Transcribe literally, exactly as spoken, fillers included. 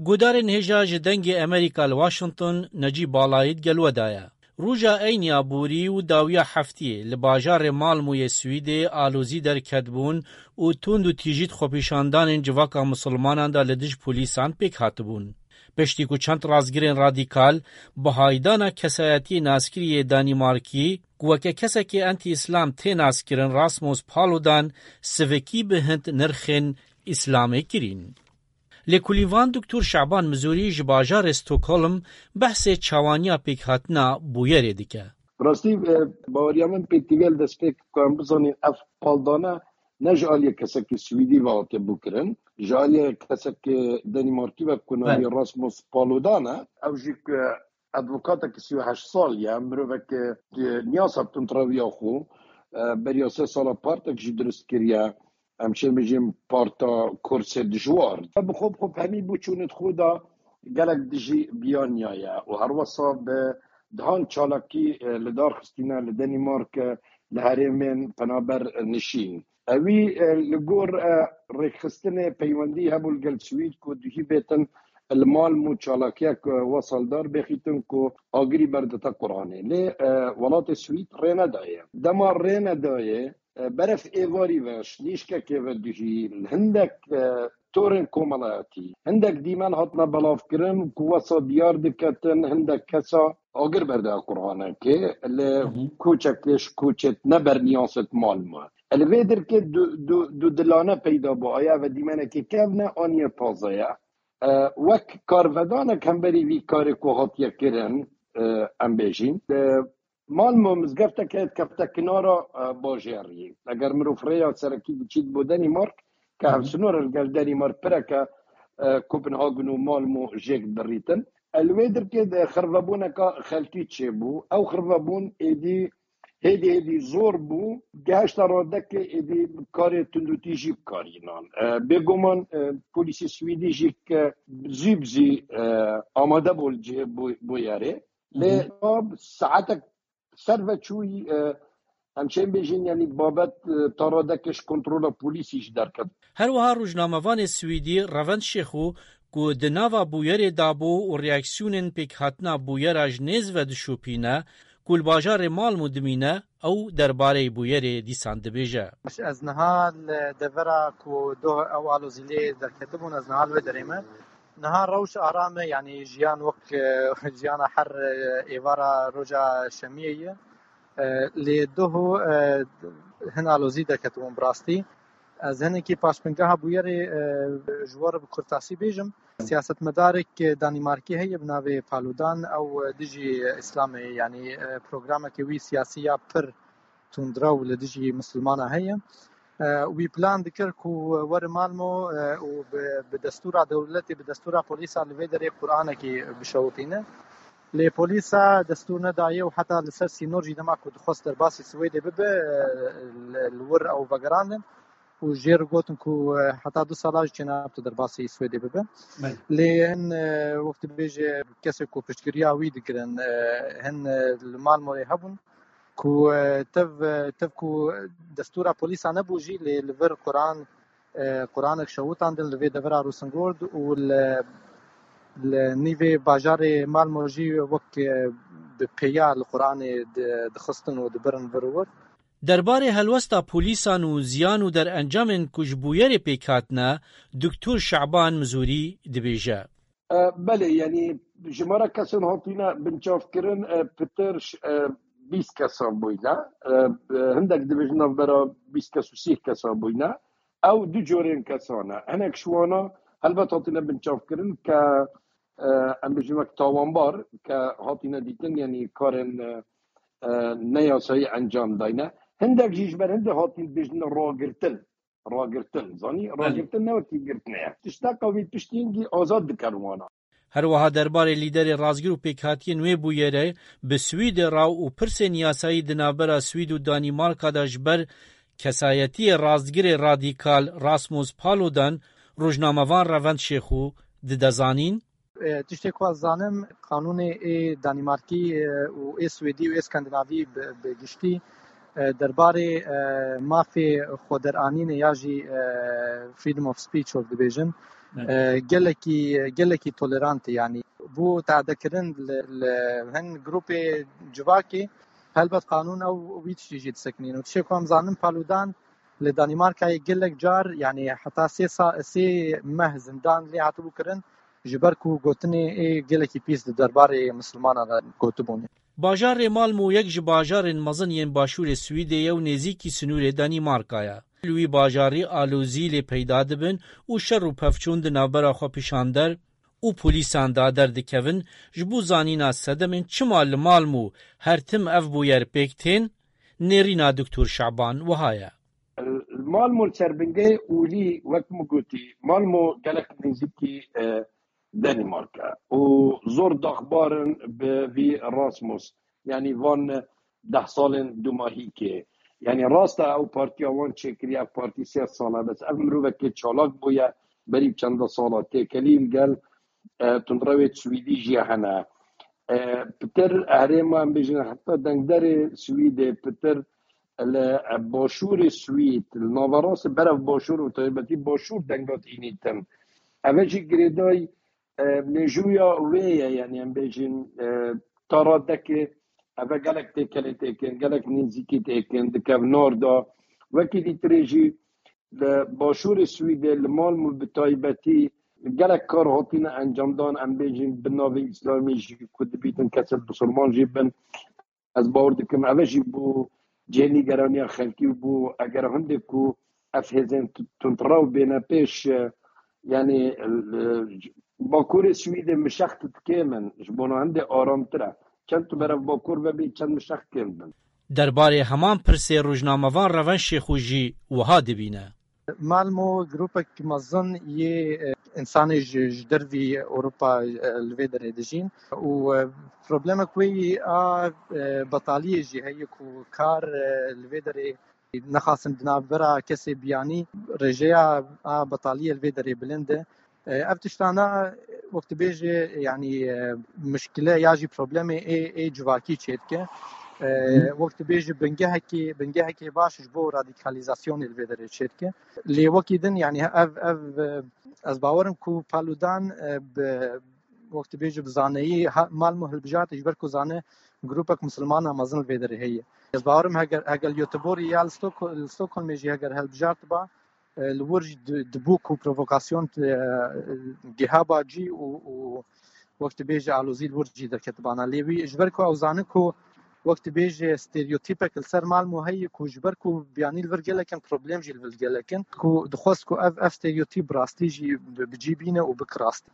Guhdarên hêja ji Dengê Amerîka li Washington, Necîb Balayî digel we de ye. Roja Eyniya Borî û dawiya heftiyê li bajarê Malmö yê Swîdê alozî derketibûn û tund û tîjî di xwepîşandanên civaka misilmanan de li dij polîsan pêk hatibûn. Piştî ku çend rastgirên radîkal bi haydana kesayetiyê naskirî yê Danîmarkî, ku weke kesekê entî-îslam tê naskirin, Rasmus Paludan, sivikî bi hind nirxên Îslamê kirîn. Lê kulîvan Doktor Şaban Mizûrî ji bajarê Stockholm behsê çawaniya pêkhatina bûyerê dike. Bi rastî, e, baweriya min pê tîvel destpêk ku em bizanîn ev paldane ne ji aliyê kesekî Swîdî ve hatiye bûkirin, ji aliyê kesekî Denîmarkî ve ku navî Belê. Rasmus Paludan e. Ew jî ku advokatekî sî û heşt sal ye, mirovek, e, niyasa tundrewiya xwe, e, beriya sê sala partek jî dirust kiriye. Em şê bijîm parta kursê dijwar. Bi xwe bi xwe hemî bûçûnê xwe de gelek dijî biyaniya ye û herwesa bi dehan çalakî, e, li dar xistîne li Denîmark, e, li herêmên penaber nişîn. Ewî, e, li gor, e, rêkxistinê peywendî hebû li gel Swîd ku duhî bêtin li Malmö çalakiyek, e, wesaldar bêxîtin ku agirî berdite Quranê. Lê, e, welatê Swîd rê nedaye. Dema rê nedaye, e, beref êvarî ve, ji nîşkekê ve duhî, hindek, e, torên komelayatî, hindek dîmen hatine belavkirin ku wesa diyar diketin, hindek kesa agir berde Quranekê li Hı hı. koçekê ji koçêt ne berniyasêt Malmö. Li vê dirkê du, du, du dilane peyda bû. Aya ve dîmenekê kevne aniye taze ye. E, wek karvedanek hemberî vî karê ku hatiye kirin, e, em bêjîn. E, Malmo mizgefteke dikefte kinara, e, bajarî. Eger mirov rêya serekî biçît bo Denîmark, ke Hı hı. hevsînor e li gel Denîmark pireke, e, Copenhagen û Malmo jêk birîtin. E, li wê dirkê de xirvebûneka xelkî çêbû. Ew xirvebûn êdî, hêdî hêdî zor bû. Gehişte radekê êdî karê tundûtîjî bikarînan. E, bêguman, e, polîsê Swîdî jî ke zû bi zû, e, amade bû li cihê bû-, bûyerê. Lê Hı hı. saetek ser ve çûyî, e, em çê bêjin, yanî babet, e, ta radekê ji kontrola polîsî jî derket. Her wiha rojnamevanê Swîdî Revend Şêxû, ku di nava bûyerê de bû û reaksiyonên pêkhatina bûyera ji nêz ve dişopîne, ku li bajarê Malmû dimîne, ew derbarê bûyerê dîsan dibêje. Ez niha li devera ku doh ew alozî lê derketibûn, ez niha li wê derê me. Niha rewş aram e, yanî jiyan wek, e, jiyana her, e, êvara roja şemiyê ye. E, lê doh, e, hin alozî derketibûn bi rastî. Ez hinekî paşbingeha bûyerê, e, ji we re bi kurtasî bêjim. Siyasetmedarek Danîmarkî heye bi navê Paludan, ew dijî Îslamê, yanî, e, programeke wî siyasî ya pir tundrew li dijî misilmana heye. E, wî plan dikir ku were Malmo, e, û bi, bi destûra dewletê, bi destûra polîsa li vê derê Quranekî bişewitîne. Lê polîsa destûr nedaye û heta li ser sînor jî dema ku dixwest derbasî Swêdê bibe, e, li, li wir ew vegerandin û jê re gotin ku, e, heta du sala jî çênabte derbasî Swêdê bibe. Belê. Lê hin, e, wek dibêje kesê ku piştgiriya wî digirin, e, hin, e, li Malmoyê hebûn ku, e, tev, e, tev ku destûra polîsa nebû jî lê li vir Quran, e, Quranek şewitandin li vê devera Rosengord û li, li nîvê bajarê Malmo jî wek, e, bi pêya li Quranê di-, dixistin û dibirin vir û wir. Derbarê helwesta polîsan û ziyan û derencamên ku ji bûyerê pêk hatine, Doktor Şaban Mizûrî dibêje. E, belê, yanî jimara kesên hatine binçavkirin, e, pitir, e, bîst kesan bûyne. E, e, hindek dibêjin navbera bîst kes û sî kesan bûyne. Ew du corên kesan e. Hinek ji wana helbet hatine binçavkirin ke, e, em bêjin wek tawanbar ke hatine dîtin, yanî karên, e, e, neyasayî encam dayne. Hindek jî ji ber hindê hatin dibêjin ragirtin. Ragirtin, zanî? Belê. Ragirtin ne wekî girtine ye. Tişteka wî piştî hingî azad dikin wana. Her wiha derbarê lîderê rastgir û pêkhatiyên wê bûyerê bi Swîdê re û pirsên yasayî di navbera Swîd û Danîmarka de ji ber kesayetiyê rastgirê radîkal Rasmus Paludan rojnamevan Revend Şêxû dide zanîn. E, tiştê ku ez zanim, qanûnê ê Danîmarkî, e, û ê Swêdî û ê Skandinavî bi, bi giştî, e, derbarê, e, mafê xwederanînê ya jî, e, freedom of speech wek dibêjin, e, gelekî, gelekî tolerant e. Yanî bû te'dekirin li, li hin grûpê civakê, helbet qanûn ew wî tiştî jî disekinîn. Û tiştê ku em zanin, Paludan li Danîmarkayê gelek car, yanî heta sê sa-, sê meh zindan lê hatibû kirin, ji ber ku gotinê ê gelekî pîs di derbarê misilmanan de gotibûne. Bajarê Malmö yek ji bajarên mezin yên başûrê Swîdê ye û nêzîkî sinûrê Danîmarka ye. Li wî bajarî alozî lê peyda dibin û şer û pevçûn di navbera xwepişander û polîsan de derdikevin. Ji bo zanîna sedemên çima li Malmö her tim ev bûyer pêk tên, nêrîna Doktor Şaban wiha ye. Malmö li ser bingehê olî, wek min gotî, Malmö gelek nêzîkî, e, Danîmarka û zor daxbar in bi vî Rasmus, yanî van deh salên dumahîkê. Yanî rast e, ew partiya wan çêkiriye, ev partî sê sal e, bes ev mirovekê çalak bûye, berî çenda sala têkelî li gel, e, tundrewê Swîdî jî hene. E, pitir herêma, em bêjin, heta dengderê Swîdê pitir li, e, başûrê Swîd, li naverastê berev başûr û taybetî başûr denga tînîtin. Eve jî girêdayî, e, mêjûya wê ye, yanî em bêjin, e, ta radekê eve gelek têkelê têkin, gelek nêzîkî têkin, di kevnar de. Wekî dîtirê jî li başûrê Swîdê, li Malmö bi taybetî gelek kar hatine encamdan, em bêjin bi navê îslamî jî ku dibîtin kesên bisilman jî bin. Ez bawer dikim, eve jî bû cihê nîgeraniya xelkî û bû eger hindê ku ev hêzên tu-, tundrew bêne pêş, e, yanî, e, bakurê Swîdê mişext dikêm in, ji bona hindê aramtir e. Çend tu berev bakur vebî, çend mişext kêm bin. Derbarê heman pirsê rojnamevan Reven Şêxû jî wiha dibîne. Malmo grûpek mezin yê, e, însanê ji, ji dervî Ewropa, e, li vê derê dijîn û, e, problemek wê yî a, e, betaliyê jî heye ku kar, e, li vê derê nexasim di navbera kesê biyanî rêjeya a betaliyê li vê derê bilind e. E, ev tiştana wek dibêje, yanî, e, mişkile ya jî problemê ê, ê civakî çêdike. E, Hı. Wek dibêje bingehekê, bingehekê baş ji bo radîkalîzasyonê li vê derê çêdike. Lê wekî din, yanî ev, ev, e, ez bawerim ku Paludan, e, bi, wek dibêje bi zaneyî ha-, Malmo hilbijarte ji ber ku zane grûpek misilmana mezin li vê derê heye. Ez bawerim heger, heger li Göteborgê ya li Stok-, li Stockholmê jî heger hilbijart ba, e, li wir jî di-, dibû ku provokasyon, e, gihaba cî û, û wek dibêje alozî li wir jî derketibana. Lê wî ji ber ku ew zanin ku wek dibêje stereotîpek li ser Malmo heye ku ji ber ku biyanî li vir gelek in, problem jî li vir gelek in, ku dixwest ku ev, ev stereotîp bi rastî jî bi, bi cî bîne û bik rast.